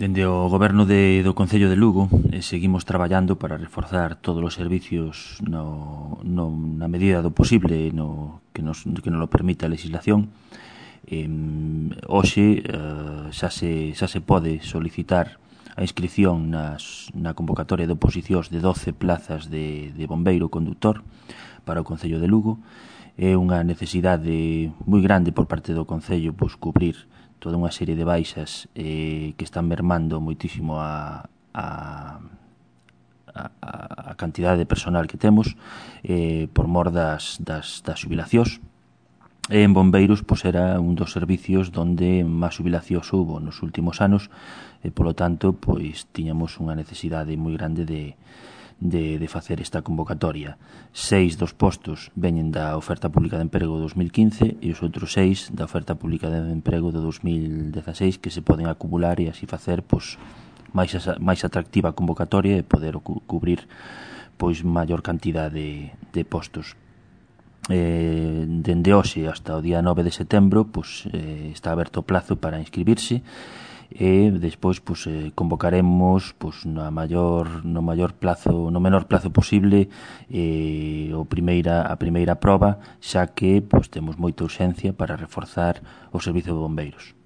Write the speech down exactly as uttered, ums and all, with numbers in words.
Dende o Goberno de, do Concello de Lugo eh, seguimos traballando para reforzar todos os servicios no, no, na medida do posible no, que, nos, que nos lo permite a legislación. Eh, hoxe eh, xa, se, xa se pode solicitar a inscripción nas, na convocatoria de oposicións de doce plazas de, de bombeiro conductor para o Concello de Lugo. É unha necesidade moi grande por parte do Concello pois, cubrir toda unha serie de baixas eh, que están mermando moitísimo a, a, a, a cantidade de personal que temos eh, por mor das, das, das xubilacións. E en bombeiros pois, era un dos servicios donde máis xubilacións houve nos últimos anos e, polo tanto, pois tiñamos unha necesidade moi grande de, de, de facer esta convocatoria. Seis dos postos veñen da oferta pública de emprego do dos mil quince e os outros seis da oferta pública de emprego do dos mil dezaseis que se poden acumular e así facer pois, máis, máis atractiva a convocatoria e poder cu cubrir pois, maior cantidad de, de postos. Eh, dende hoxe hasta o día nove de setembro pois, eh, está aberto o plazo para inscribirse e despois pois, eh, convocaremos pois, no maior no maior plazo, no menor plazo posible eh, o primeira, a primeira proba, xa que pois, temos moita urxencia para reforzar o servizo de bombeiros.